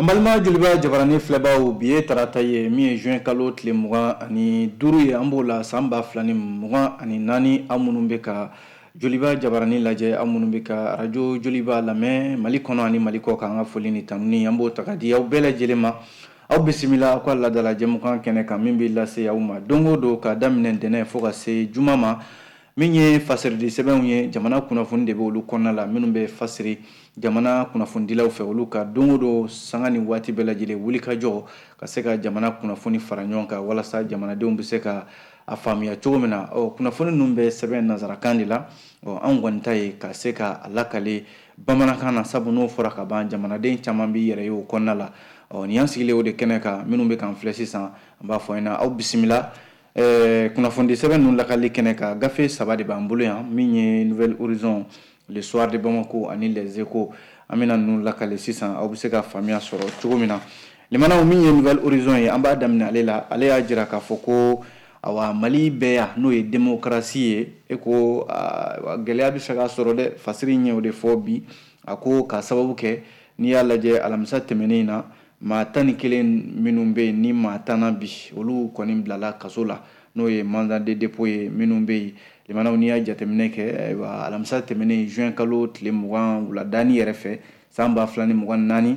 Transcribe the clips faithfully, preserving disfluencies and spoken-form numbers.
An balima Joliba Jabarani filɛbaw, bi ye tarata ye min ye juin kalo tile mugan ani duuru ye, an b'o la san ba fila ni mugan ani naani. Aw minnu bɛ ka Joliba Jabarani lajɛ, aw minnu bɛ ka arajo Joliba lamɛn Mali kɔnɔ ani Mali kɔ kan, an ka foli ni tanuni, an b'o ta ka di aw bɛɛ lajɛlen ma. Aw bisimila aw ka laadala jɛmukan kɛnɛ kan min bɛ lase aw ma don o don ka daminɛ ntɛnɛn fo ka se juma ma. Min ye fasiridi sɛbɛnw ye, jamana kunnafoni de bɛ olu kɔnɔna la, minnu bɛ fasiri jamana kunnafonidilaw fɛ, olu ka don o don, sanga ni waati bɛɛ lajɛlen, wulikajɔ ka se ka jamana kunnafoni fara ɲɔgɔn kan walasa jamanadenw bɛ se ka a faamuya cogo min na. Ɔ, kunnafoni ninnu bɛ sɛbɛn nanzarakan de la. Ɔ, anw kɔni ta ye ka se ka a lakale bamanankan na, sabu n'o fɔra ka ban, jamanaden caman b'i yɛrɛ ye o kɔnɔna la. Ɔ, nin y'an sigilen o de kɛnɛ kan. Minnu bɛ k'an filɛ sisan, an b'a fɔ ɲɛna, aw bisimila. ɛɛ kunnafonidi sɛbɛn ninnu lakali kɛnɛ kan, gafe saba de b'an bolo yan, min ye Nouvel Horizon, Le Soir de Bamako ani Les Échos. An bɛna ninnu lakale sisan, aw bɛ se ka faamuya sɔrɔ cogo min na. Limanaw, min ye Nouvel Horizon ye, an b'a daminɛ ale la. Ale y'a jira k'a fɔ ko awa, Mali bɛɛ yan, n'o ye démocratie ye, e ko gɛlɛya bɛ fɛ ka sɔrɔ dɛ. Fasiri ɲɛ o de fɔ bi. A ko k'a sababu kɛ, n'i y'a lajɛ, alamisa tɛmɛnen in na, maa tan ni kelen minnu bɛ yen ni maa tan na bi, olu kɔni bilala kaso la, n'o ye mandat de dépôt ye. Minnu bɛ yen, limanaw, n'i y'a jateminɛ kɛ, ayiwa, alamisa tɛmɛnen juin kalo tile mugan wuladani yɛrɛ fɛ san ba fila ni mugan naani,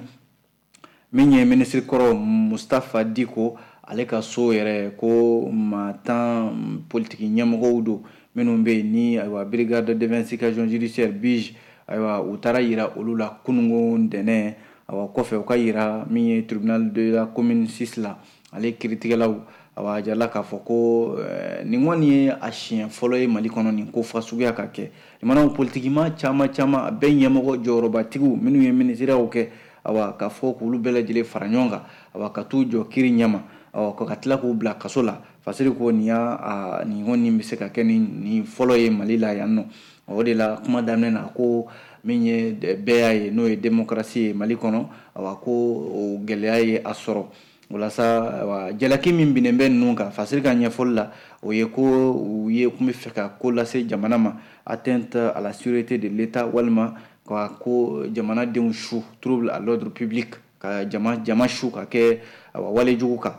min ye minisiri kɔrɔ Mustapha Diko, ale ka so yɛrɛ, ko maa tan politiki ɲɛmɔgɔw don minnu bɛ yen ni, ayiwa, Brigade d'investigation judiciaire, B I J, ayiwa, u taara yira olu la kununko ntɛnɛn. Awa, kɔfɛ u ka yira min ye tribunal de la commune six la, ale kiiritigɛlaw, awa, a jirala k'a fɔ ko nin kɔni ye a siɲɛ fɔlɔ ye Mali kɔnɔ nin ko fasuguya ka kɛ. Limanaw, politikima caman caman, a bɛɛ ɲɛmɔgɔ jɔyɔrɔbatigiw minnu ye minisiriyaw kɛ, awa, k'a fɔ k'olu bɛɛ lajɛlen fara ɲɔgɔn kan, awa, ka t'u jɔ kiiri ɲɛma, awa, ka tila k'u bila kaso la. Fasiri ko nin y'a nin kɔni bɛ se ka kɛ ni nin fɔlɔ ye Mali la yan nɔ. O de la, kuma daminɛ na, ko min ye bɛɛ y'a ye, n'o ye démocratie ye Mali kɔnɔ, awa, ko o gɛlɛya ye a sɔrɔ. Walasa, awa, jalaki min binnen bɛ ninnu kan, Fasiri ka ɲɛfɔli la, o ye ko u ye kun bɛ fɛ ka ko lase jamana ma, atteinte à la sûreté de l'État, walima ka ko jamanadenw su, trouble à l'ordre public, ka jama jama su ka kɛ, awa, walejugu kan.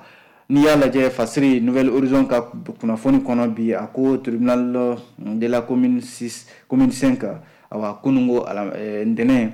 N'i y'a lajɛ, Fasiri, Nouvel Horizon ka kunnafoni kɔnɔ bi, a ko tribunal de la commune six, commune cinq, awa, kununko ntɛnɛn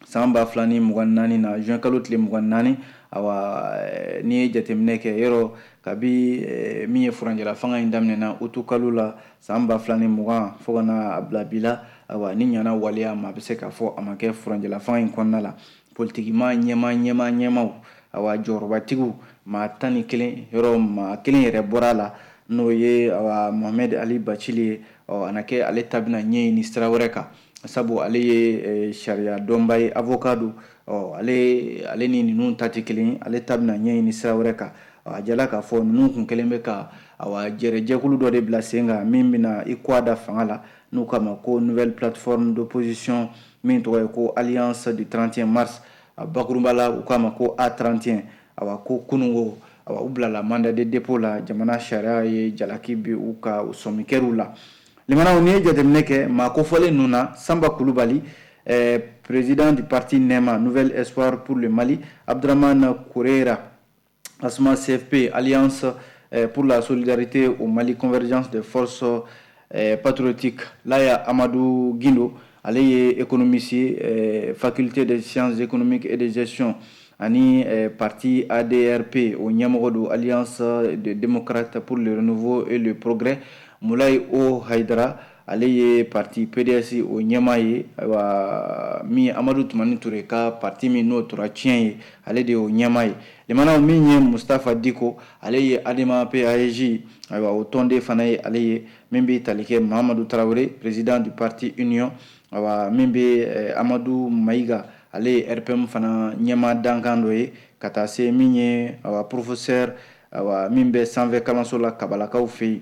san ba fila ni mugan naani na, juin kalo tile mugan naani, awa, n'i ye jateminɛ kɛ, yɔrɔ kabi min ye furanjɛla fanga in daminɛna utu kalo la san ba fila ni mugan fo ka na a bila bi la, awa, ni ɲana waleya ma, a bɛ se k'a fɔ a ma kɛ furanjɛla fanga in kɔnɔna la, politikima ɲɛma ɲɛma ɲɛmaw, awa, jɔyɔrɔbatigiw maa tan ni kelen, yɔrɔ maa kelen yɛrɛ bɔra a la, n'o ye, awa, Mohamed Ali Bacili ye. Ɔ, a na kɛ ale ta bɛna ɲɛɲini sira wɛrɛ kan, sabu ale ye sariya dɔnba ye, avocat don. Ɔ, ale ale ni ninnu ta tɛ kelen ye, ale ta bɛna ɲɛɲini sira wɛrɛ kan. A jala k'a fɔ ninnu kun kɛlen bɛ ka, awa, jɛrɛjɛkulu dɔ de bila sen kan min bɛna i kɔ da fanga la, n'u k'a ma ko Nouvelle Plateforme d'opposition, min tɔgɔ ye ko Alliance du trente et un mars, a bakurunba la u k'a ma ko A trente et un. Awa, ko kununko, awa, u bilala mandat de dépôt la, jamana sariya ye jalaki bi u ka sɔmi kɛr'u la. Limanaw, n'i ye jateminɛ kɛ maa kofɔlen ninnu na, Sanba Kulubali, eh, président du parti NEMA, Nouvel Espoir pour le Mali, Abdraman Kourera, Asma C F P, Alliance eh, pour la solidarité au Mali, Convergence des forces eh, patriotiques, Laya Amadou Guindo, ale ye économiste ye, eh, faculté des sciences économiques et de gestion, ani eh, parti A D R P o ɲɛmɔgɔ don, Alliance des démocrates pour le renouveau et le progrès, Moulay O Haidara, ale ye parti P D S o ɲɛmaa ye, ayiwa, min ye Amadu Tumani Ture ka parti min n'o tora tiɲɛ ye, ale de y'o ɲɛmaa ye. Limanaw, min ye Mustapha Diko, ale ye ADEMA P A E J, ayiwa, o tɔnden fana ye ale ye. Min bɛ tali kɛ Mahamadu Tarawele, président du parti Union, ayiwa, min bɛ eh, Amadu Mayiga, ale ye R P M fana ɲɛmaa dankan dɔ ye, ka taa se min ye, ayiwa, professeur, ayiwa, min bɛ sanfɛ kalanso la Kabalakaw fɛ yen,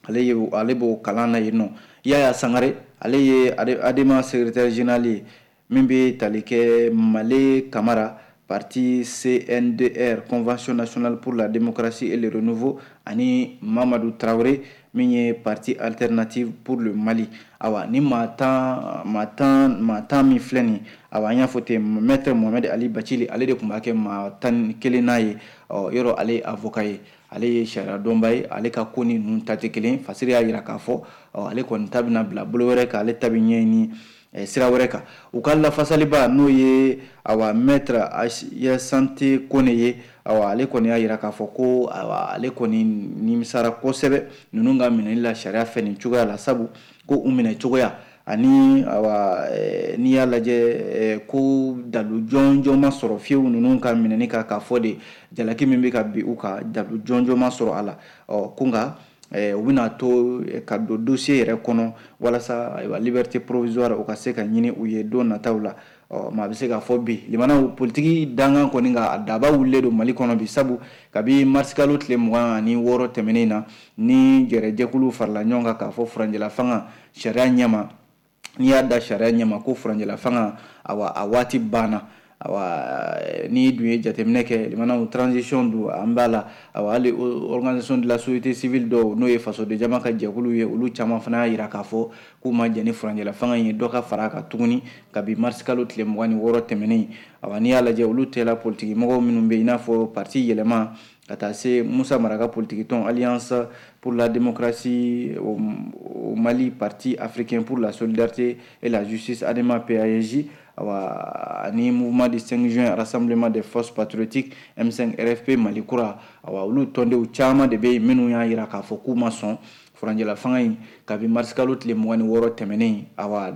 ale ye ale b'o kalan na yen nɔ. Yaya Sangare, ale ye ADEMA secrétaire général ye. Min bɛ tali kɛ Male Kamara, parti C N D R, Convention nationale pour la démocratie et le renouveau, ani Mamadu Tarawele, min ye Parti Alternative pour le Mali. Awa ni maa tan maa tan maa tan min filɛ nin, awa an y'a fɔ ten, Maître Mohamed Ali Bathily, ale de tun b'a kɛ maa tan ni kelen n'a ye. Ɔ yɔrɔ ale ye avocat ye, ale ye sariya dɔnba ye, ale ka ko ni ninnu ta tɛ kelen. Fasiri y'a jira k'a fɔ ɔ ale kɔni ta bɛna bila bolo wɛrɛ kan, ale ta bɛ ɲɛɲini sira wɛrɛ kan. U ka lafasaliba n'o ye awa Maître Sante Kone ye, awa ale kɔni y'a jira k'a fɔ ko awa ale kɔni nimisara kosɛbɛ ninnu ka minɛli la sariya fɛ nin cogoya la, sabu ko u minɛ cogoya ani awa n'i y'a lajɛ ko dalu jɔnjɔn ma sɔrɔ fiyewu ninnu ka minɛni kan, k'a fɔ de jalaki min bɛ ka bin u kan dalu jɔnjɔn ma sɔrɔ a la. Ɔ ko nka u bɛna to ka don dossier yɛrɛ kɔnɔ walasa ayiwa liberté provisoire o ka se ka ɲini u ye don nataw la. Ɔ maa bɛ se k'a fɔ bi limanaw politiki dangan kɔni ka a daba wulilen don Mali kɔnɔ bi, sabu kabi marisikalo tile mugan ani wɔɔrɔ tɛmɛnen na ni jɛrɛjɛkulu farala ɲɔgɔn kan k'a fɔ furancɛla fanga sariya ɲɛma, n'i y'a da sariya ɲɛma ko furancɛla fanga awa a waati banna. Awa n'i dun ye jateminɛ kɛ limanaw transition don an b'a la, awa hali organisation de la société civile dɔw n'o ye fasoden jama ka jɛkulu ye, olu caman fana y'a jira k'a fɔ k'u ma jɛn ni furancɛla fanga in ye dɔ ka fara a kan tuguni kabi marisikalo tile mugan ni wɔɔrɔ tɛmɛnen. Awa n'i y'a lajɛ olu tɛla politiki mɔgɔw minnu bɛ yen i n'a fɔ parti yɛlɛma ka taa se Musa Mara ka politiki tɔn Alliance pour la démocratie au, au Mali, Parti africain pour la solidarité et la justice ADEMA P A S J, awa ani mouvement du cinq juin Rassemblement des forces patriotiques M cinq R F P Mali kura, awa olu tɔndenw caman de bɛ yen minnu y'a jira k'a fɔ k'u ma sɔn furancɛla fanga in kabi marisikalo tile mugan ni wɔɔrɔ tɛmɛnen, awa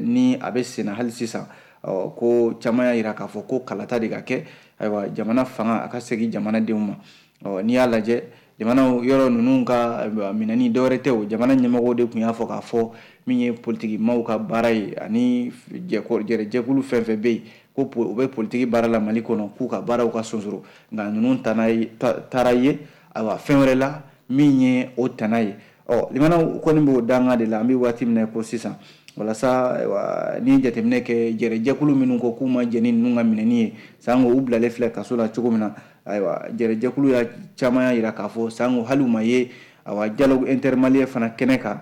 ni a bɛ senna hali sisan. Ɔ ko caman y'a jira k'a fɔ ko kalata de ka kɛ, ayiwa jamana fanga a ka segin jamanadenw ma. Ɔ n'i y'a lajɛ jamana yɔrɔ ninnu ka minɛni dɔwɛrɛ tɛ o, jamana ɲɛmɔgɔw de tun y'a fɔ k'a fɔ min ye politiki maaw ka baara ye ani jɛrɛjɛkulu fɛn fɛn bɛ yen ko u bɛ politiki baara la Mali kɔnɔ k'u ka baaraw ka sonsoro, nka ninnu taara ye ayiwa fɛn wɛrɛ la min ye o tana ye. Ɔ limanaw kɔni b'o danga de la an bɛ waati min na ko sisan, walasa ayiwa ni jateminɛ kɛ jɛrɛjɛkulu minnu ko k'u ma jɛn ni ninnu ka minɛni ye sango u bilalen filɛ kaso la cogo min na, ayiwa jɛrɛjɛkulu ya caman y'a jira k'a fɔ sango hali u ma ye awa dialogue intermalien fana kɛnɛ kan.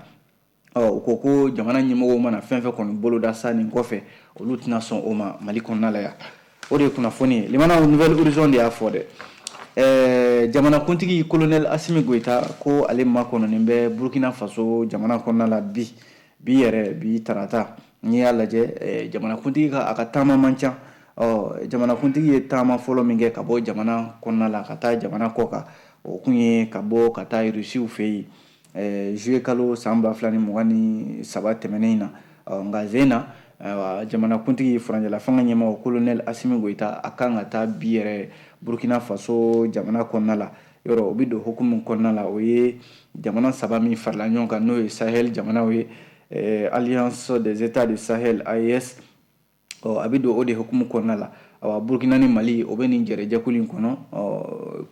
Ɔ u ko ko jamana ɲɛmɔgɔw mana fɛn fɛn kɔni boloda sa nin kɔfɛ olu tɛna sɔn o ma Mali kɔnɔna la yan. O de ye kunnafoni ye limanaw Nouvelle Horizon de y'a fɔ dɛ. Ɛɛ jamanakuntigi colonel Assimi Goïta ko ale makɔnɔnen bɛ Burkina Faso jamana kɔnɔna la bi bi yɛrɛ bi tarata. N'i y'a lajɛ jamanakuntigi ka a ka taama man ca. Ɔ jamanakuntigi ye taama fɔlɔ min kɛ ka bɔ jamana kɔnɔna la ka taa jamana kɔ kan, o kun ye ka bɔ ka taa Rusiw fɛ yen juillet kalo san ba fila ni mugan ni saba tɛmɛnen in na. Ɔ nka zen na jamanakuntigi furancɛla fanga ɲɛmɔgɔ colonel Assimi Goïta a kan ka taa bi yɛrɛ Burkina Faso jamana kɔnɔna la. Yɔrɔ o bɛ don hukumu kɔnɔna la, o ye jamana saba min farala ɲɔgɔn kan n'o ye Sahel jamanaw ye, Alliance des États du Sahel A E S, ɔ a bɛ don o de hukumu kɔnɔna la. Awa Burkina ni Mali o bɛ nin jɛrɛjɛkulu in kɔnɔ. Ɔ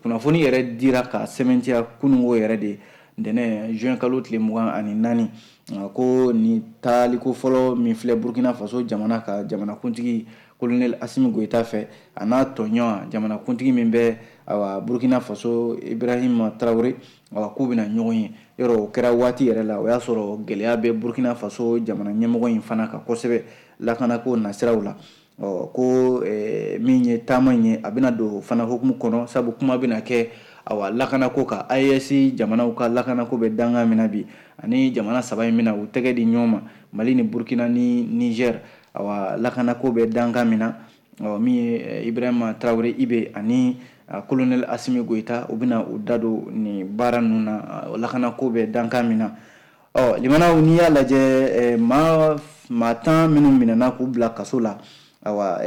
kunnafoni yɛrɛ dira ka sɛmɛntiya kununko yɛrɛ de ntɛnɛn juin kalo tile mugan ani naani ko nin taaliko fɔlɔ min filɛ Burkina Faso jamana ka jamanakuntigi colonel Assimi Goïta fɛ a n'a tɔɲɔgɔn jamanakuntigi min bɛ awa Burkina Faso Ibrahim Traoré, awa k'u bɛna ɲɔgɔn ye. Yɔrɔ o kɛra waati yɛrɛ la o y'a sɔrɔ gɛlɛya bɛ Burkina Faso jamana ɲɛmɔgɔ in fana kan kosɛbɛ lakanako nasiraw la. Ɔ ko min ye taama in ye a bɛna don fana hukumu kɔnɔ, sabu kuma bɛna kɛ awa lakanako kan. A E S jamanaw ka lakanako bɛ danga min na bi ani jamana saba in bɛna u tɛgɛ di ɲɔgɔn ma, Mali ni Burkina ni Niger, awa lakanako bɛ danga min na. Ɔ min ye Ibrahim Traoré Ibe ani colonel Assimi Goïta u bɛna u da don nin baara ninnu na, lakanako bɛ danga min na. Ɔ limanaw n'i y'a lajɛ maa maa tan minnu minɛna k'u bila kaso la, awa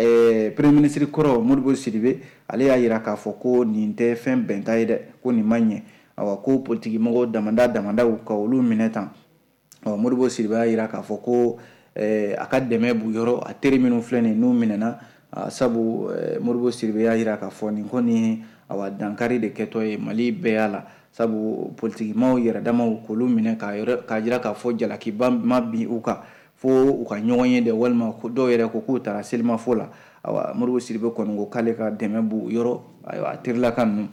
premier ministre kɔrɔ Modibo Sidibe ale y'a jira k'a fɔ ko nin tɛ fɛn bɛnta ye dɛ, ko nin ma ɲɛ. Awa ko politiki mɔgɔw damada damadaw ka olu minɛ tan. Ɔ Modibo Sidibe y'a jira k'a fɔ ko a ka dɛmɛ b'u yɔrɔ, a teri minnu filɛ nin n'u minɛna, sabu Modibo Sidibe y'a jira k'a fɔ nin kɔni awa dankari de kɛtɔ ye Mali bɛɛ y'a la, sabu politiki maaw yɛrɛ damaw k'olu minɛ k'a jira k'a fɔ jalakiba ma bin u kan fo u ka ɲɔgɔn ye dɛ, walima dɔw yɛrɛ ko k'u taara selimafo la. Awa Modibo Sidibe kɔni ko k'ale ka dɛmɛ b'u yɔrɔ, ayiwa a terilaka ninnu.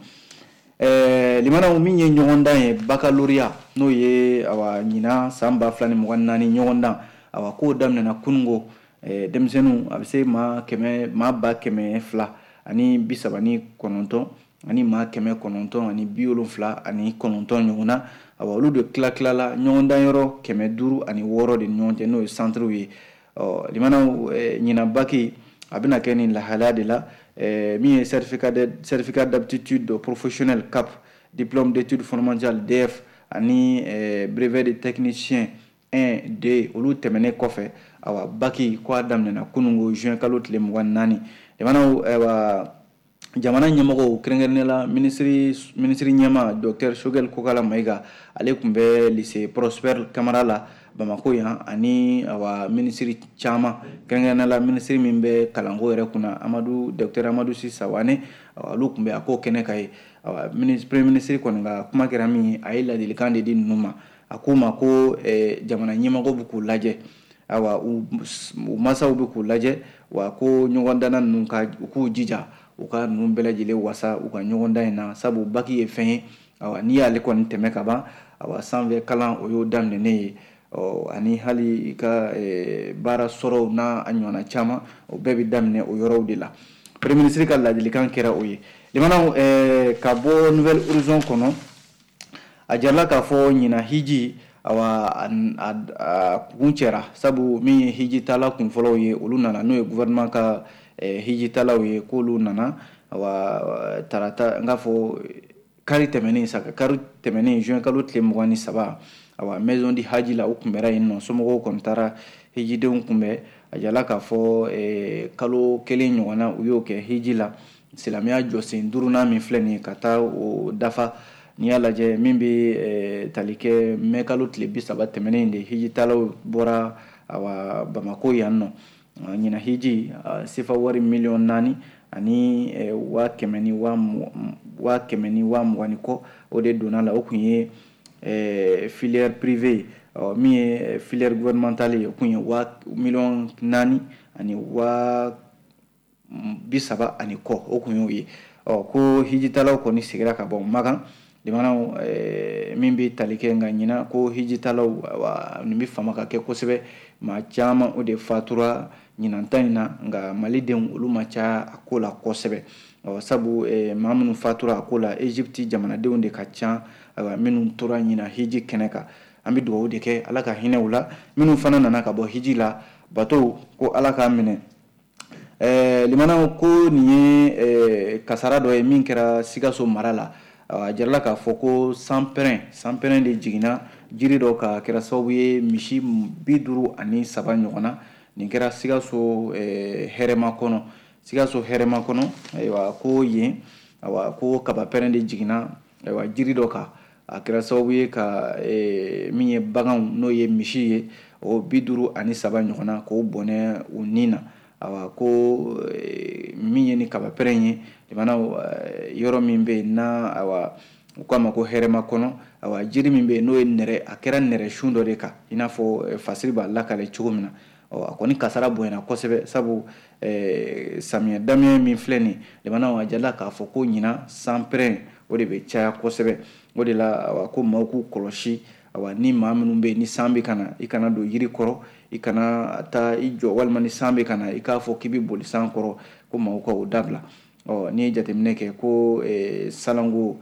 Ɛɛ limanaw, min ye ɲɔgɔndan ye baccalauréat, n'o ye awa ɲinan san ba fila ni mugan naani ɲɔgɔndan, awa k'o daminɛna kunungo. Denmisɛnninw a bɛ se maa kɛmɛ maa ba kɛmɛ fila ani bi saba ni kɔnɔntɔn ani maa kɛmɛ kɔnɔntɔn ani bi wolonfila ani kɔnɔntɔn ɲɔgɔn na. Awa olu de tila tilala ɲɔgɔndan yɔrɔ kɛmɛ duuru ani wɔɔrɔ de ni ɲɔgɔn cɛ, n'o ye centrew ye. Ɔ limanaw, ɲinan bac a bɛna kɛ nin lahalaya de la. Min ye certificat de certificat d'aptitude professionnelle C A P, diplôme d'études fondamentales D E F ani brevet de technicien un, deux, olu tɛmɛnen kɔfɛ, awa bac ko a daminɛna kunungo juin kalo tile mugan naani. Limanaw, ayiwa jamana ɲɛmɔgɔw, kɛrɛnkɛrɛnnenya la minisiri minisiri ɲɛma docteur Choguel Kokala Maïga, ale tun bɛ lycée Prosper Camara la Bamako yan, ani awa minisiri caman, kɛrɛnkɛrɛnnenya la minisiri min bɛ kalanko yɛrɛ kunna, Amadu docteur Amadu Si Sawane, olu tun bɛ a ko kɛnɛ kan ye. Awa premier ministre kɔni ka kuma kɛra min ye, a ye ladilikan de di ninnu ma. A k'u ma ko jamana ɲɛmɔgɔw bɛ k'u lajɛ, awa u masaw bɛ k'u lajɛ, wa ko ɲɔgɔndanna ninnu ka u k'u jija u ka ninnu bɛɛ lajɛlen wasa u ka ɲɔgɔndan in na, sabu bac ye fɛn ye, awa n'i y'ale kɔni tɛmɛ ka ban, awa sanfɛ kalan o y'o daminɛnen ye. Ɔ ani hali i ka baara sɔrɔw n'a a ɲɔgɔnna caman, o bɛɛ bɛ daminɛ o yɔrɔw de la. Premier ministre ka ladilikan kɛra o ye. Limanaw, ka bɔ Nouvel Horizon kɔnɔ, a jarala k'a fɔ ɲinan hiji, awa a kun cɛra, sabu min ye hijitala kunfɔlɔw ye, olu nana, n'o ye gouvernement ka hijitalaw ye, k'olu nana awa tarata, n k'a fɔ kari tɛmɛnen sa, kari tɛmɛnen juin kalo tile mugan ni saba, awa maison du haji la, u kunbɛra yen nɔ. Somɔgɔw kɔni taara hijidenw kunbɛn. A jala k'a fɔ kalo kelen ɲɔgɔnna u y'o kɛ hiji la, silamɛya jɔsen duurunan min filɛ nin ye ka taa o dafa. N'i y'a lajɛ, min bɛ tali kɛ mɛ kalo tile bi saba tɛmɛnen de, hijitalaw bɔra awa Bamako yan nɔ. Ɲinan hiji, sefa wari miliyɔn naani ani waa kɛmɛ ni waa waa kɛmɛ ni waa mugan ni kɔ, o de donna la. O kun ye filière privée ye. Min ye filière gouvernementale ye, o kun ye waa miliyɔn naani ani waa bi saba ani kɔ, o kun y'o ye. Ɔ ko hijitalaw kɔni seginna ka bɔ Makan. Limanaw, min bɛ tali kɛ nka ɲinan ko hijitalaw, nin bɛ fama ka kɛ kosɛbɛ, maa caman o de fatura ɲinan ta in na, nka malidenw olu ma ca a ko la kosɛbɛ. Ɔ sabu maa minnu fatura a ko la, Egypte jamanadenw de ka ca, ayiwa minnu tora ɲinan hiji kɛnɛ kan. An bɛ dugawu de kɛ, Ala ka hinɛ u la. Minnu fana nana ka bɔ hiji la, bato ko Ala k'a minɛ. ɛɛ limanaw, ko nin ye kasara dɔ ye min kɛra Sikaso mara la. A jirala k'a fɔ ko sanpɛrɛn sanpɛrɛn de jiginna jiri dɔ ka kɛra sababu ye misi bi duuru ani saba ɲɔgɔn na. Nin kɛra Sikaso hɛrɛma kɔnɔ, Sikaso hɛrɛma kɔnɔ. Ayiwa ko yen, ayiwa ko kabapɛrɛn de jiginna ayiwa jiri dɔ kan, a kɛra sababu ye ka min ye baganw, n'o ye misi ye, o bi duuru ani saba ɲɔgɔn na, k'o bɔnɛ u ni na. Awa ko min ye ni kabapɛrɛn ye, limanaw, yɔrɔ min bɛ yen n'a awa u k'a ma ko hɛrɛma kɔnɔ, awa jiri min bɛ yen n'o ye nɛrɛ, a kɛra nɛrɛ sun dɔ de kan, i n'a fɔ fasiri b'a lakale cogo min na. Ɔ a kɔni kasara bonyana kosɛbɛ, sabu samiyɛ daminɛ min filɛ nin, limanaw, a jala k'a fɔ ko ɲinan sanpɛrɛn o de bɛ caya kosɛbɛ. O de la awa ko maaw k'u kɔlɔsi. Awa ni maa minnu bɛ yen ni san bɛ ka na, i kana don yiri kɔrɔ, i kana taa i jɔ, walima ni san bɛ ka na, i k'a fɔ k'i bɛ boli san kɔrɔ, ko maaw ka o dabila. Ɔ n'i ye jateminɛ kɛ ko salanko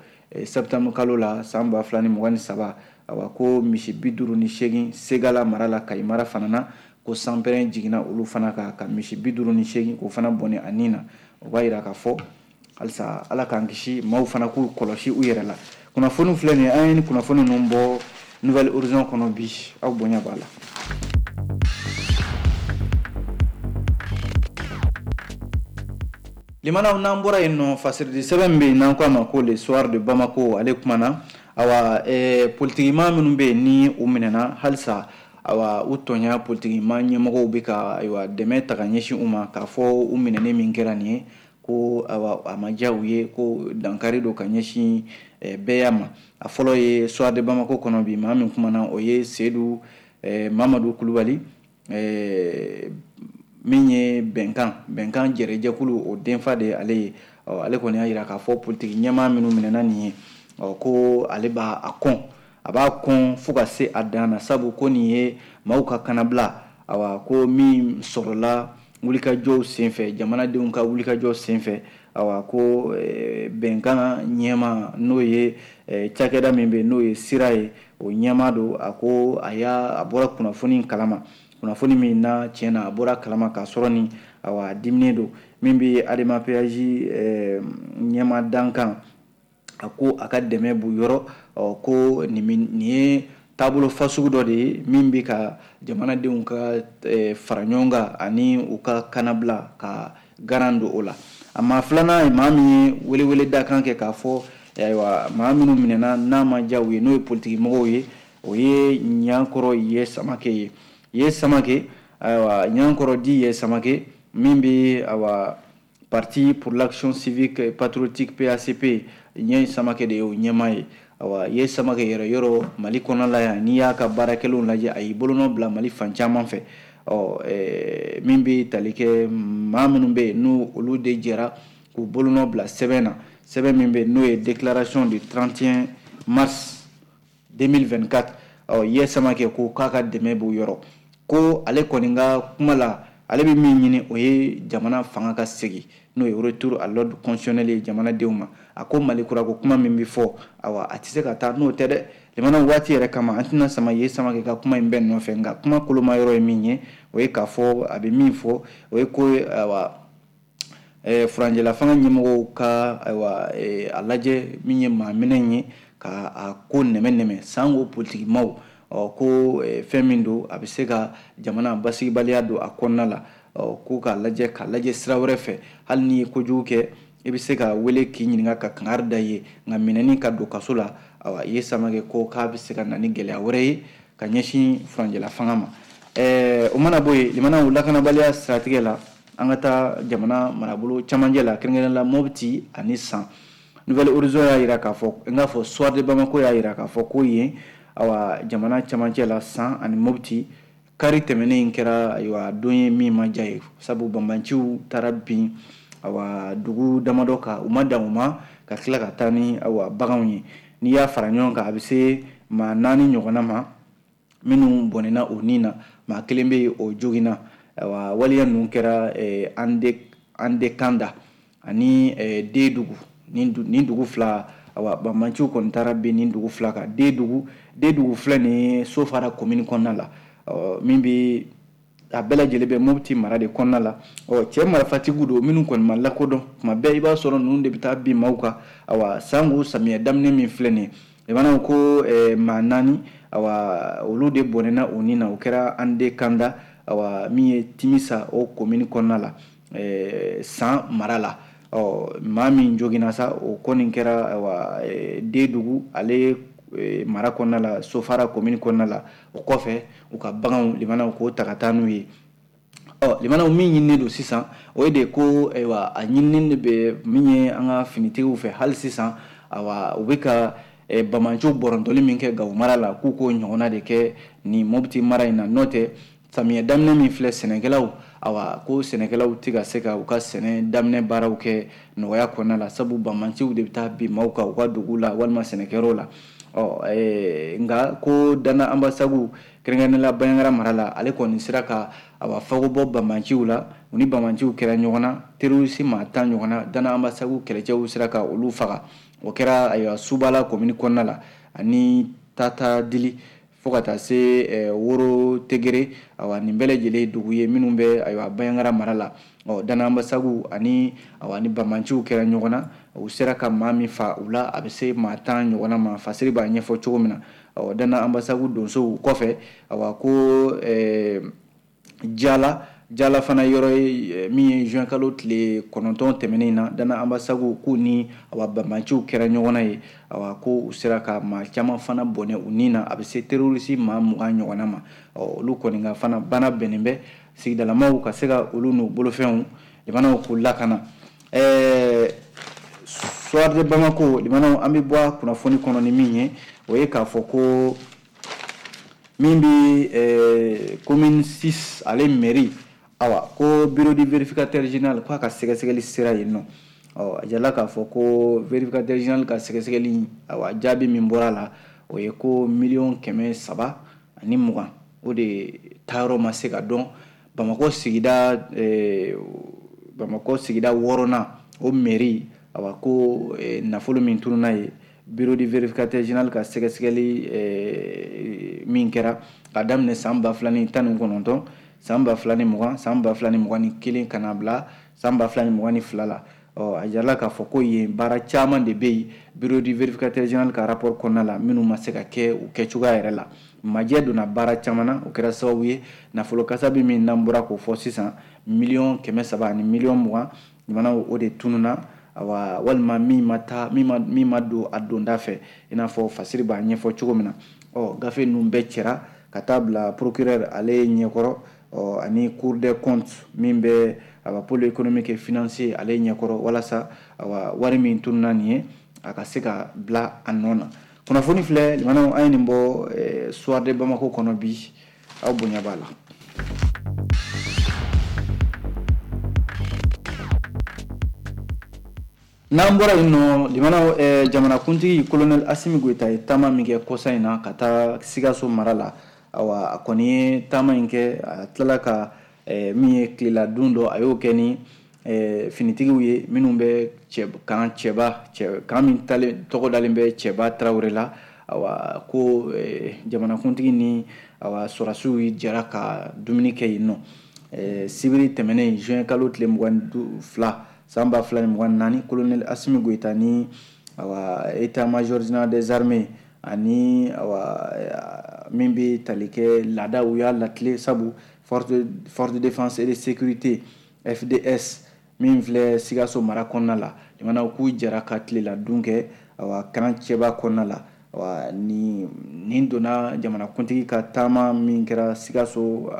septembre kalo la san ba fila ni mugan ni saba, awa ko misi bi duuru ni seegin Segala mara la, Kayi mara fana na, ko sanpɛrɛn jiginna olu fana kan ka misi bi duuru ni seegin k'o fana bɔnɛ a nin na. O b'a yira k'a fɔ halisa Ala k'an kisi, maaw fana k'u kɔlɔsi u yɛrɛ la. Kunnafoni filɛ nin ye, an ye ni kunnafoni ninnu bɔ Nouvel Horizon kɔnɔ bi, aw bonya b'a la. Limanaw, n'an bɔra yen nɔ, fasiridi sɛbɛn bɛ yen n'an ko a ma ko Le Soir de Bamako, ale kumana awa eh, politikimaa minnu bɛ yen ni u minɛna halisa, awa u tɔɲa politikimaa ɲɛmɔgɔw bɛ ka ayiwa dɛmɛ ta ka ɲɛsin u ma, k'a fɔ u minɛnen min kɛra nin ye, ko awa a ma diya u ye, ko dankari don ka ɲɛsin eh, bɛɛya ma. A fɔlɔ ye Soir de Bamako kɔnɔ bi, maa min kumana o ye Sedu eh, Mamadu Kulubali, eh, min ye bɛnkan bɛnkan jɛrɛjɛkulu o denfa de ye ale ye. Ɔ ale kɔni y'a jira k'a fɔ politiki ɲɛmaa minnu minɛna nin ye, ɔ ko ale b'a a kɔn, a b'a kɔn fo ka se a dan na, sabu ko nin ye maaw ka kanabila, awa ko min sɔrɔla wulikajɔw senfɛ, jamanadenw ka wulikajɔ senfɛ, awa ko bɛnkan ɲɛma n'o ye cakɛda min bɛ n'o ye sira ye, o ɲɛma don. A ko a y'a a bɔra kunnafoni kalama, kunnafoni min na tiɲɛ na a bɔra kalama k'a sɔrɔ ni awa diminen don. Min bɛ Adema P A J ɲɛma dankan, a ko a ka dɛmɛ b'u yɔrɔ, ɔ ko nin ye taabolo fasugu dɔ de ye min bɛ ka jamanadenw ka fara ɲɔgɔn kan ani u ka kanabila ka garan don o la. A maa filanan ye maa min ye welewele dakan kɛ k'a fɔ ayiwa maa minnu minɛna n'a ma diya u ye, n'o ye politiki mɔgɔw ye, o ye Ɲankɔrɔ Ye Samake ye. Ye Samake, ayiwa Ɲankɔrɔ di Ye Samake min bɛ awa Parti pour l'action civique patriotique P A C P, Ye Samake de ye o ɲɛmaa ye. Awa Ye Samake yɛrɛ yɔrɔ Mali kɔnɔna la yan, n'i y'a ka baarakɛlenw lajɛ, a y'i bolonɔ bila Mali fan caman fɛ. Ɔ min bɛ tali kɛ maa minnu bɛ yen n'u olu de jɛra k'u bolonɔ bila sɛbɛn na, sɛbɛn min bɛ yen n'o ye déclaration du trente et un mars deux mille vingt-quatre. Ɔ Ye Samake ko k'a ka dɛmɛ b'u yɔrɔ, ko ale kɔni ka kuma la, ale bɛ min ɲini o ye jamana fanga ka segin, n'o ye retour à l'ordre constitutionnel ye jamanadenw ma. A ko Mali kura ko kuma min bɛ fɔ, awa a tɛ se ka taa n'o tɛ dɛ. Jamana waati yɛrɛ kama an tɛna sama Ye Samake ka kuma in bɛɛ nɔfɛ, nka kuma koloma yɔrɔ ye min ye, o ye k'a fɔ a bɛ min fɔ, o ye ko awa furanjɛla fanga ɲɛmɔgɔw ka ayiwa a lajɛ min ye maa minɛ ye ka a ko nɛmɛ nɛmɛ sango politiki maaw, ɔ ko fɛn min don a bɛ se ka jamana basigibaliya don a kɔnɔna la, ɔ ko k'a lajɛ k'a lajɛ sira wɛrɛ fɛ. Hali n'i ye kojugu kɛ, i bɛ se ka wele k'i ɲininka ka kangari da ye, nka minɛni ka don kaso la, awa Ye Samake ko k'a bɛ se ka na ni gɛlɛya wɛrɛ ye ka ɲɛsin furanjɛla fanga ma. Ɛɛ o mana bɔ yen, limanaw lakanabaliya siratigɛ la, an ka taa jamana marabolo camancɛ la, kɛrɛnkɛrɛnnenya la Mopti ani San. Nouvelle Horizon y'a jira k'a fɔ, n k'a fɔ Soir de Bamako y'a jira k'a fɔ ko yen awa jamana camancɛ la San ani Mopti, kari tɛmɛnen in kɛra ayiwa don ye min ma diya ye, sabu banbanciw taara bin awa dugu damadɔ kan, u ma dan u ma ka tila ka taa ni awa baganw ye. N'i y'a fara ɲɔgɔn kan, a bɛ se maa naani ɲɔgɔnna ma minnu bɔnɛna o nin na, maa kelen bɛ yen o joginna. Awa waleya ninnu kɛra Ande Andekanda ani Dedugu, nin dugu fila, awa banbanciw kɔni taara bin nin dugu fila kan. Dedugu Dedugu filɛ nin ye Sofara commune kɔnɔna la, ɔ min bɛ a bɛɛ lajɛlen bɛ Mopti mara de kɔnɔna la. Ɔ cɛ marifatigiw don minnu kɔni ma lakodɔn, tuma bɛɛ i b'a sɔrɔ ninnu de bɛ taa bin maaw kan. Awa sango samiyɛ daminɛ min filɛ nin ye, limanaw ko maa naani awa olu de bɔnɛna o nin na, o kɛra Andekanda, awa min ye Timisa o commune kɔnɔna la, San mara la. Ɔ maa min joginna sa, o kɔni kɛra awa Dedugu ale mara kɔnɔna la, Sofara commune kɔnɔna la. O kɔfɛ u ka baganw limanaw k'o ta ka taa n'u ye. Ɔ limanaw min ɲininen don sisan, o ye de ko ayiwa a ɲininen de bɛ min ye an ka finitigiw fɛ hali sisan, awa u bɛ ka bamanciw bɔrɔntɔli min kɛ Gawo mara la, k'u k'o ɲɔgɔnna de kɛ nin Mopti mara in na. N'o tɛ samiyɛ daminɛ min filɛ, sɛnɛkɛlaw awa ko sɛnɛkɛlaw tɛ ka se ka u ka sɛnɛ daminɛ baaraw kɛ nɔgɔya kɔnɔna la, sabu bamanciw de bɛ taa bin maaw kan u ka dugu la walima sɛnɛkɛyɔrɔw la. Ɔ nka ko Dana Ambasagu kɛrɛnkɛrɛnnenya la Bandiagara mara la, ale kɔni sera ka awa fago bɔ bamanciw la, u ni bamanciw kɛra ɲɔgɔn na, terroriste maa tan ɲɔgɔn na, Dana Ambasagu kɛlɛcɛw sera ka olu faga. O kɛra ayiwa Subala commune kɔnɔna la ani Tata Dili fo ka taa se Woro Tegere, awa nin bɛɛ lajɛlen dugu ye minnu bɛ ayiwa Bandiagara mara la. Ɔ Dana Ambasagu ani awa ni bamanciw kɛra ɲɔgɔn na, u sera ka maa min fa u la, a bɛ se maa tan ɲɔgɔnna ma, Fasiri b'a ɲɛfɔ cogo min na. Ɔ Dana Ambasagu donsow kɔfɛ, awa ko Jala Jala fana yɔrɔ ye min ye juin kalo tile kɔnɔntɔn tɛmɛnen na, Dana Ambasagu k'u ni awa bamanciw kɛra ɲɔgɔn na ye, awa ko u sera ka maa caman fana bɔnɛ u nin na, a bɛ se terroriste maa mugan ɲɔgɔnna ma. Ɔ olu kɔni ka fana bana bɛnnen bɛ sigidalamaw ka se ka olu n'u bolofɛnw limanaw k'u lakana. Ɛɛ Soir de Bamako limanaw, an bɛ bɔ kunnafoni kɔnɔ ni min ye, o ye k'a fɔ ko min bɛ commune six ale mairie, awa ko bureau du vérificateur général k'a ka sɛgɛsɛgɛli sera yen nɔ. Ɔ a jirala k'a fɔ ko vérificateur général ka sɛgɛsɛgɛli, awa, jaabi min bɔra a la, o ye ko miliyɔn kɛmɛ saba ani mugan o de taayɔrɔ ma se ka dɔn Bamakɔ sigida Bamakɔ sigida wɔɔrɔnan o mairie. Awa, ko nafolo min tununna ye, bureau du vérificateur général ka sɛgɛsɛgɛli min kɛra ka daminɛ san ba fila ni tan ni kɔnɔntɔn, san ba fila ni mugan, san ba fila ni mugan ni kelen, ka na bila san ba fila ni mugan ni fila la. Ɔ a jirala k'a fɔ ko yen baara caman de bɛ yen, bureau du vérificateur général ka rapport kɔnɔna la, minnu ma se ka kɛ u kɛcogoya yɛrɛ la. Majɛ donna baara caman na, o kɛra sababu ye nafolo kasabi min n'an bɔra k'o fɔ sisan, miliyɔn kɛmɛ saba ani miliyɔn mugan jamana, o de tununna, awa, walima min ma taa, min ma min ma don a donda fɛ, i n'a fɔ fasiri b'a ɲɛfɔ cogo min na. Ɔ gafe ninnu bɛɛ cɛra ka taa bila procureur ale ɲɛkɔrɔ, ɔ ani Cour des comptes min bɛ, awa, pôle économique et financier ale ɲɛkɔrɔ, walasa, awa, wari min tununna nin ye, a ka se ka bila a nɔ na. Kunnafoni filɛ limanaw, an ye nin bɔ Soir de Bamako kɔnɔ bi, aw bonya b'a la. N'an bɔra yen nɔ, limanaw, jamanakuntigi colonel Assimi Goïta ye taama min kɛ kɔsa in na ka taa Sikaso mara la, awa, a kɔni ye taama in kɛ, a tilala ka min ye tilela dun dɔ, a y'o kɛ ni finitigiw ye minnu bɛ cɛ kan cɛba cɛ kan min talen tɔgɔ dalen bɛ Cɛba Tarawele la. Awa, ko jamanakuntigi ni, awa, sɔrɔdasiw jɛra ka dumuni kɛ yen nɔ sibiri tɛmɛnen, juin kalo tile mugan fila san ba fila ni mugan naani. Colonel Assimi Goïta ni, awa, état major général des armées ani, awa, min bɛ tali kɛ laada, u y'a latile, sabu force de force de défense et de sécurité, F D S, min filɛ Sikaso mara kɔnɔna la, limanaw, k'u jɛra ka tilela dun kɛ, awa, kan cɛba kɔnɔna la. Awa, nin nin donna jamanakuntigi ka taama min kɛra Sikaso,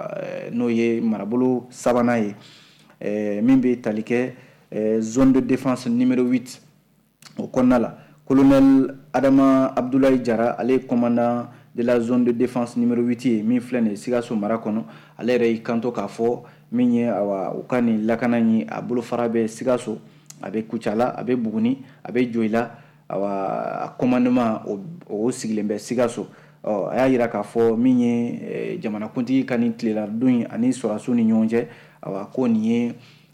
n'o ye marabolo sabanan ye, min bɛ tali kɛ zone de défense numéro huit o kɔnɔna la. Colonel Adama Abdoulaye Jara, ale ye commandant de la zone de défense numéro huit ye min filɛ nin ye Sikaso mara kɔnɔ, ale yɛrɛ y'i kanto k'a fɔ min ye, awa, u ka nin lakana in, a bolofara bɛ Sikaso, a bɛ Kucala, a bɛ Buguni, a bɛ Joyila. Awa, a commandement o, o sigilen bɛ Sikaso. Ɔ a y'a yira k'a fɔ min ye jamanakuntigi ka nin tilela dun in ani sɔrɔdasiw ni ɲɔgɔn cɛ, awa, ko nin ye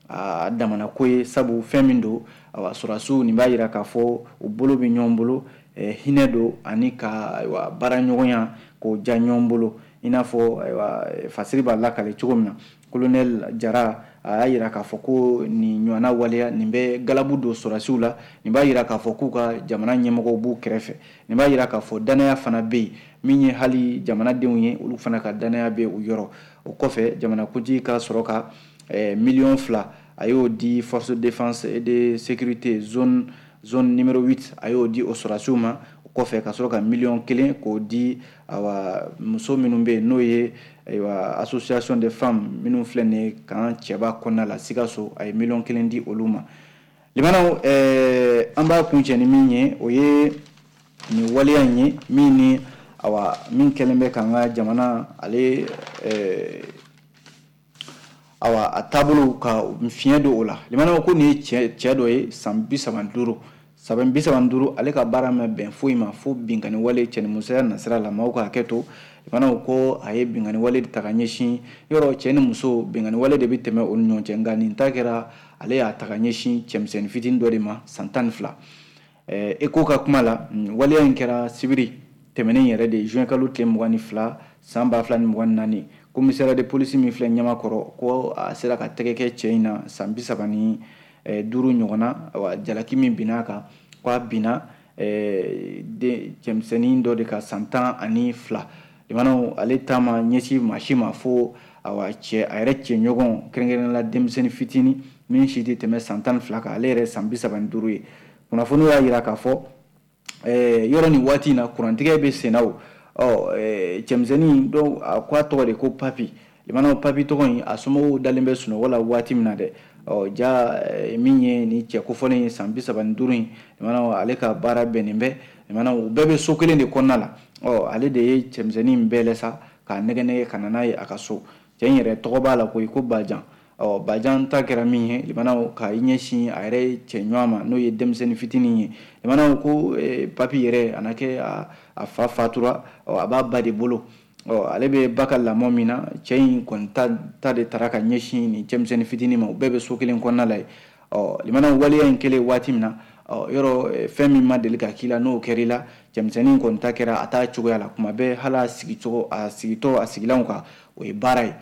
a damana ko ye, sabu fɛn min don, awa, sɔrɔdasiw, nin b'a yira k'a fɔ u bolo bɛ ɲɔgɔn bolo, hinɛ don ani ka, ayiwa, baara ɲɔgɔnya k'o diya ɲɔgɔn bolo, i n'a fɔ, ayiwa, fasiri b'a lakale cogo min na. Colonel Jara a y'a yira k'a fɔ ko nin ɲɔgɔnna waleya nin bɛ galabu don sɔrɔdasiw la, nin b'a yira k'a fɔ k'u ka jamana ɲɛmɔgɔw b'u kɛrɛfɛ, nin b'a yira k'a fɔ danaya fana bɛ yen, min ye hali jamanadenw ye, olu fana ka danaya bɛ u yɔrɔ. O kɔfɛ, jamanakuntigi ka sɔrɔ ka miliyɔn fila, a y'o di force de défense et de sécurité zone zone numéro huit, a y'o di o sɔrɔdasiw ma. O kɔfɛ, ka sɔrɔ ka miliyɔn kelen k'o di, awa, muso minnu bɛ yen, n'o ye, ayiwa, association des femmes minnu filɛ nin ye kan cɛba kɔnɔna la Sikaso, a ye miliyɔn kelen di olu ma. Limanaw, ɛɛ an b'a kuncɛ ni min ye, o ye nin waleya in ye min ni, awa, min kɛlen bɛ k'an ka jamana ale, ɛɛ awa, a taabolo ka fiɲɛ don o la. Limanaw, ko nin ye cɛ cɛ dɔ ye, san bi saba ni duuru, san bi saba ni duuru, ale ka baara ma bɛn foyi ma fo binkani wale cɛnimusoya nasira la. Maaw ka hakɛ to. Limanaw, ko a ye binkani wale ta ka ɲɛsin yɔrɔ cɛ ni muso, binkani wale de bɛ tɛmɛ o ni ɲɔgɔn cɛ, nka nin ta kɛra ale y'a ta ka ɲɛsin cɛmisɛnnin fitinin dɔ de ma, san tan ni fila. Eko ka kuma la, waleya in kɛra sibiri tɛmɛnen yɛrɛ de, juin kalo tile mugan ni fila san ba fila ni mugan ni naani. Commissariat de police min filɛ Ɲamakɔrɔ, ko a sera ka tɛgɛ kɛ cɛ in na, san bi saba ni duuru ɲɔgɔn na. Awa, jalaki min binna a kan, ko a binna cɛmisɛnnin dɔ de ka, san tan ani fila. Limanaw, ale ta ma ɲɛsin maa si ma fo, awa, cɛ a yɛrɛ cɛɲɔgɔn, kɛrɛnkɛrɛnnenya la denmisɛnnin fitinin min si tɛ tɛmɛ san tan ni fila kan, ale yɛrɛ san bi saba ni duuru ye. Kunnafoniw y'a yira k'a fɔ yɔrɔ nin waati in na, kurantigɛ bɛ sen na. O ɔ cɛmisɛnnin dɔw, a ko a tɔgɔ de ko Papi. Limanaw, Papi tɔgɔ in, a somɔgɔw dalen bɛ sunɔgɔ la waati min na dɛ, ɔ ja min ye nin cɛ kofɔlen ye, san bi saba ni duuru in, limanaw, ale ka baara bɛnnen bɛ, limanaw, u bɛɛ bɛ so kelen de kɔnɔna la. Ɔ ale de ye cɛmisɛnnin in bɛɛ lɛ sa k'a nɛgɛ nɛgɛ ka na n'a ye a ka so. Cɛ in yɛrɛ tɔgɔ b'a la koyi, ko Bajan. Ɔ Bajan ta kɛra min ye, limanaw, ka i ɲɛsin a yɛrɛ cɛ ɲɔgɔn ma, n'o ye denmisɛnnin fitinin ye. Limanaw, ko papi yɛrɛ a na kɛ a fa fatura, ɔ a b'a ba de bolo. Ɔ ale bɛ ba ka lamɔ min na, cɛ in kɔni ta ta de taara ka ɲɛsin nin cɛmisɛnnin fitinin ma. U bɛɛ bɛ so kelen kɔnɔna la yen. Ɔ limanaw, waleya in kɛlen waati min na, ɔ yɔrɔ fɛn min ma deli ka k'i la, n'o kɛr'i la, cɛmisɛnnin kɔni ta kɛra a t'a cogoya la. Kuma bɛɛ, hali a sigicogo, a sigitɔ a sigilanw kan, o ye baara ye.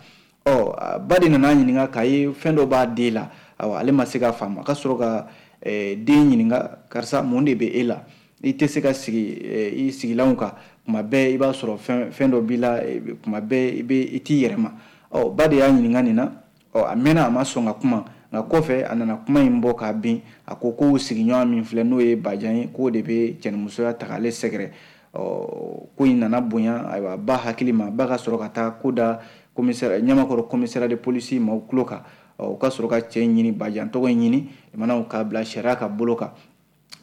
Ɔ ba de nana ɲininka k'a ye fɛn dɔ b'a den la. Ayiwa, ale ma se k'a faamu. A ka sɔrɔ ka den ɲininka: karisa, mun de bɛ e la? I tɛ se ka sigi i sigilanw kan, kuma bɛɛ i b'a sɔrɔ fɛn fɛn dɔ b'i la, kuma bɛɛ i bɛ i t'i yɛrɛ ma. Ɔ ba de y'a ɲininka nin na. Ɔ a mɛnna, a ma sɔn ka kuma, nka kɔfɛ a nana kuma in bɔ k'a bin. A ko ko sigiɲɔgɔn min filɛ, n'o ye Bajan ye, k'o de bɛ cɛnimusoya ta k'ale sɛgɛrɛ. Ɔ ko in nana bonya, ayiwa, ba hakili ma. Ba ka sɔrɔ ka taa ko da commissaire Ɲamakɔrɔ, commissariat de police maaw tulo kan. Ɔ u ka sɔrɔ ka cɛ in ɲini, Bajan tɔgɔ in ɲini, limanaw, k'a bila sariya ka bolo kan.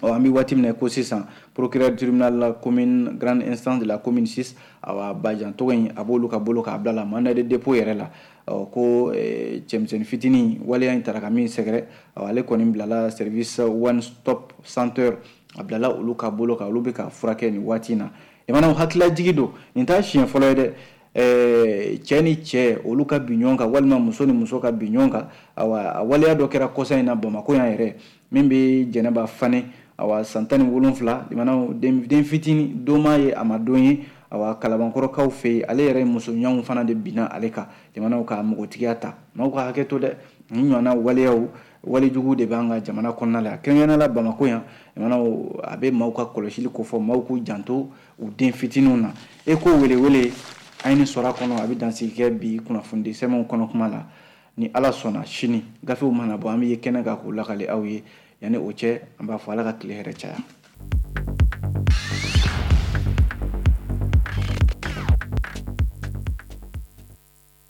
Ɔ an bɛ waati min na ko sisan, procureur tribunal la commune grande instance de la commune six, awa, Bajan tɔgɔ in, a b'olu ka bolo k'a bila la mandat de dépôt yɛrɛ la. Ɔ ko cɛmisɛnnin fitinin, waleya in taara ka min sɛgɛrɛ, ɔ ale kɔni bilala service one stop center, a bilala olu ka bolo kan, olu bɛ ka furakɛ nin waati in na. Limanaw, hakililajigi don, nin t'a siɲɛ fɔlɔ ye dɛ. Cɛ ni cɛ, olu ka bin ɲɔgɔn kan, walima muso ni muso ka bin ɲɔgɔn kan. Awa, a waleya dɔ kɛra kɔsa in na Bamakɔ yan yɛrɛ, min bɛ Jɛnɛba Fane, awa, san tan ni wolonfila. Limanaw, den fitinin don m'a ye, a ma don ye. Awa, Kalabankɔrɔkaw fɛ yen, ale yɛrɛ muso ɲɔgɔnw fana de binna ale kan, limanaw, ka npogotigiya ta. Maaw ka hakɛ to dɛ, nin ɲɔgɔnna waleyaw, walejugu de b'an ka jamana kɔnɔna la, kɛrɛnkɛrɛnnenya la Bamakɔ yan. Limanaw, a bɛ maaw ka kɔlɔsili kofɔ, maaw k'u janto u den fitininw na. E ko welewele a ye nin sɔrɔ a kɔnɔ. A bɛ dansigi kɛ bi kunnafonidi sɛbɛnw kɔnɔ kuma la. Ni Ala sɔnna, sini gafew mana bɔ, an bɛ ye kɛnɛ kan k'u lakale aw ye. Yanni o cɛ, an b'a fɔ Ala ka tile hɛrɛ caya.